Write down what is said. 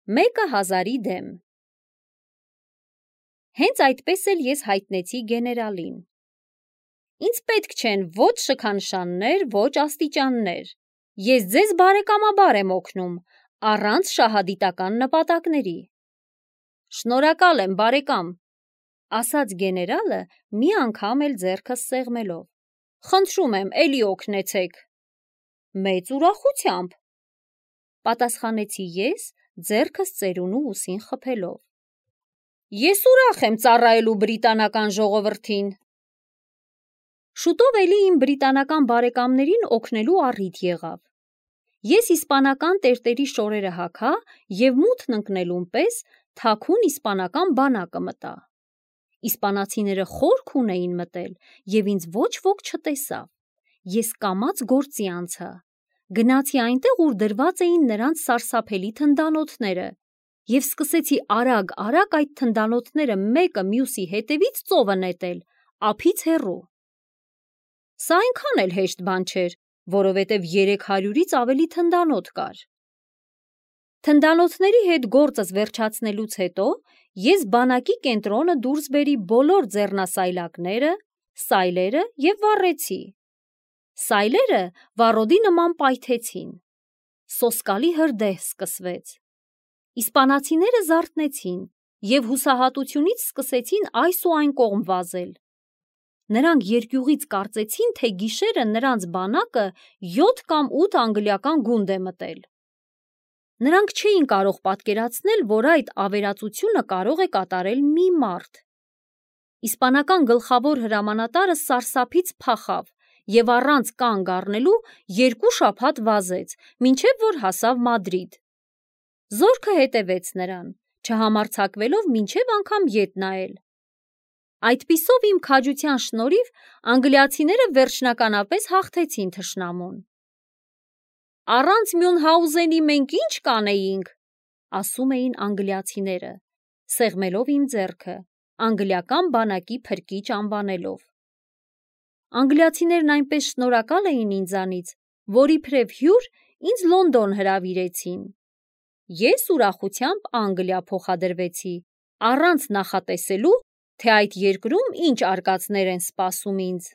մեկը 1000-ի դեմ։ Հենց այդպես էլ ես հայտնեցի գեներալին։ Ինձ պետք չեն ոչ շքանշաններ, ոչ աստիճաններ։ Ես ձեզ բարեկամաբար եմ օգնում, առանց շահադիտական նպատակների։ Շնորհակալ եմ, բարեկամ, ասաց գեներալը մի անգամ էլ ձեռքս սեղմելով։ Խնդրում եմ, էլի օգնեցեք։ Մեծ ուրախությամբ, պատասխանեցի ես, ձեռքս ծերունու ուսին խփելով։ Ես ուրախ եմ ծառայելու բրիտանական ժողովրդին։ Շուտով էլի իմ բրիտանական բարեկամներին օգնելու առիթ եղավ։ Ես իսպանական տերտերի շորերը հագա և մութն ընկնելուն պես թաքուն իսպանական բանակը մտա։ Իսպանացիները խորք ունեին մտել և ինձ ոչ ոք չտեսավ։ Ես կամաց գործի անցա։ Գնացի այնտեղ, ուր դրված էին նրանց սարսափելի թնդանոթները և սկսեցի արագ-արագ այդ թնդանոթները մեկը մյուսի հետևից ծովը նետել, ափից հեռու։ Սա այնքան էլ հեշտ բան չէր, որովհետև 300-ից ավելի թնդանոթ կար։ Թնդանոթների հետ գործս վերջացնելուց հետո ես բանակի կենտրոնը դուրս բերի բոլոր ձեռնասայլակները, սայլերը և վառեցի։ Սայլերը վառոդի նման պայթեցին։ Սոսկալի հրդեհ սկսվեց։ Իսպանացիները զարթնեցին և հուսահատությունից սկսեցին այս ու այն կողմ վազել։ Նրանք երկյուղից կարծեցին, թե գիշերը նրանց բանակը 7 կամ 8 անգլիական գունդ է մտել։ Նրանք չէին կարող պատկերացնել, որ այդ ավերածությունը կարող է կատարել մի մարդ։ Իսպանական գլխավոր հրամանատարը սարսափից փախավ և առանց կանգ առնելու 2 շաբաթ վազեց, մինչև որ հասավ Մադրիդ։ Զորքը հետևեց նրան, չհամարձակվելով մինչև անգամ ետ նայել։ Այդպիսով իմ քաջության շնորհիվ անգլիացիները վերջնականապես հաղթեցին թշնամուն։ Առանց Մյունհաուզենի մենք ի՞նչ կանեինք, ասում էին անգլիացիները, սեղմելով իմ ձեռքը, անգլիական բանակի փրկիչ անվանելով։ Անգլիացիներն այնպես շնորհակալ էին ինձանից, որ իբրև հյուր ինձ Լոնդոն հրավիրեցին։ Ես ուրախությամբ Անգլիա փոխադրվեցի, առանց նախատեսելու, թե այդ երկրում ինչ արկածներ են սպասում ինձ։